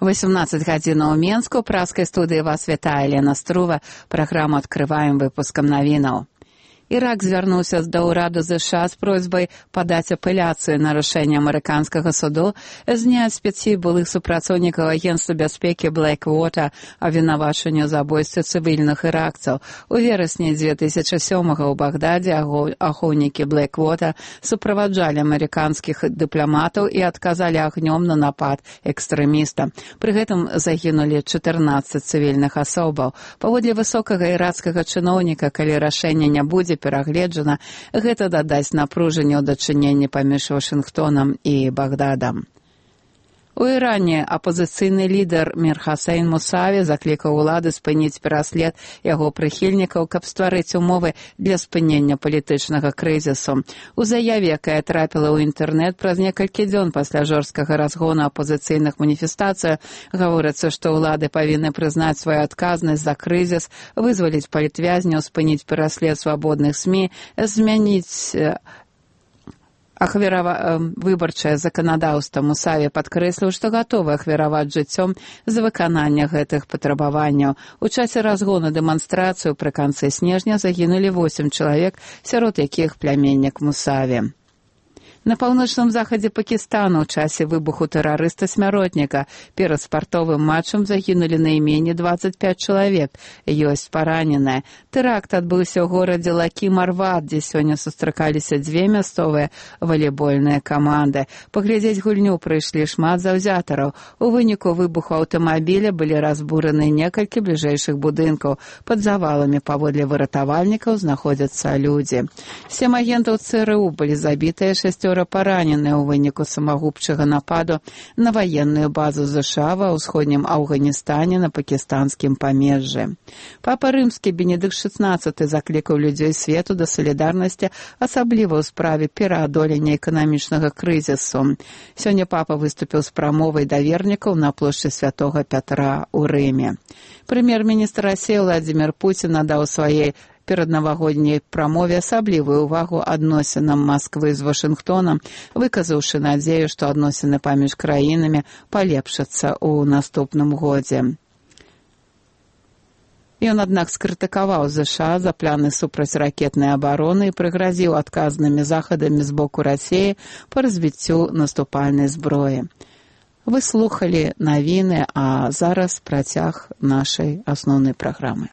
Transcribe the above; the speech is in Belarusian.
18 гадзінаў у Менску. Праскай студыі вас вітае Лена Струва. Праграму адкрываем выпускам навінаў. Ірак звярнуўся да ўраду ЗША з просьбай падаць апеляцыю на рашэнне амерыканскага суду зняць з пяці былых супрацоўнікаў агенцтва бяспекі Blackwater абвінавачванню забойстве цывільных іракцаў. У верасні 2007-го ў Багдадзе ахоўнікі Blackwater суправаджалі амерыканскіх дыпламатаў і адказалі агнём на напад экстрэміста. Пры гэтым загінулі 14 цывільных асобаў. Паводле высокага іракскага чыноўніка, калі рашэнне не будзе перагледжана, гэта дадасць напружанне ў дачыненні паміж Вашынгтонам і Багдадам. У Іране апазіцыйны лідар Мір Хасейн Мусаві заклікаў улады спыніць пераслед яго прыхільнікаў, каб стварыць умовы для спынення палітычнага крызісу. У заяве, якая трапіла ў інтэрнэт праз некалькі дзён пасля жорсткага разгону апазіцыйных маніфестацый, гаворыцца, што ўлады павінны прызнаць сваю адказнасць за крызіс, вызваліць палітвязняў, спыніць пераслед свабодных СМІ, змяніць выбарчае заканадаўства. Мусаві падкрэсліў, што гатовы ахвяраваць жыццём за выкананне гэтых патрабаванняў. У часе разгону дэманстрацыю пры канцы снежня загінулі 8 чалавек, сярод якіх пляменнік Мусаві. На паўночным захадзе Пакістану ў часе выбуху тэрарыста-смяротніка перад спартовым матчам загінулі найменей 25 чалавек, ёсць параненыя. Тэракт адбыўся ў горадзе Лакі-Марват, дзе сёння сустракаліся дзве мясцовыя валейбольныя каманды. Паглядзець гульню прыйшлі шмат заўзятараў. У выніку выбуху аўтамабіля былі разбураны некалькі бліжэйшых будынкаў. Пад заваламі паводле выратавальнікаў знаходзяцца людзі. 7 агентаў ЦРУ былі забітыя, 6 параненыя ў выніку самагубчага нападу на ваенную базу ЗША ва ўсходнім Афганістане на пакістанскім памежжы. Папа Рымскі Бенедыкт XVI заклікаў людзей свету да салідарнасці, асабліва ў справе пераадолення эканамічнага крызісу. Сёння папа выступіў з прамовай да вернікаў на плошчы Святога Пятра ў Рыме. Прэм'ер-міністр Расіі Владзімір Пуцін надаў сваёй пераднавагодняй прамове асаблівую ўвагу адносінам Масквы з Вашынгтонам, выказаўшы надзею, што адносіны паміж краінамі палепшацца ў наступным годзе. Ён, аднак, скрытыкаваў ЗША за планы супрацьракетнай абароны і прыгразіў адказнымі захадамі з боку Расіі па развіццю наступальнай зброі. Вы слухалі навіны, а зараз працяг нашай асноўнай праграмы.